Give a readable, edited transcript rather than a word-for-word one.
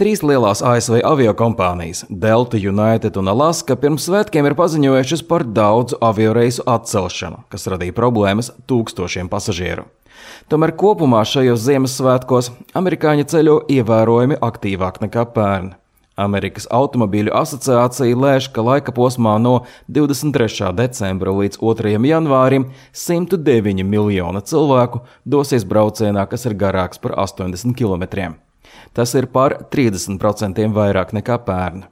Trīs lielās ASV aviokompānijas Delta, United un Alaska pirms svētkiem ir paziņojušas par daudzu avioreisu atcelšanu, kas radīja problēmas tūkstošiem pasažieru. Tomēr kopumā šajos Ziemassvētkos amerikāņi ceļo ievērojami aktīvāk nekā pērn. Amerikas automobīļu asociācija lēš, ka laika posmā no 23. decembra līdz 2. janvārim 109 miljoni cilvēku dosies braucienā, kas ir garāks par 80 kilometriem. Tas ir par 30% vairāk nekā pērn.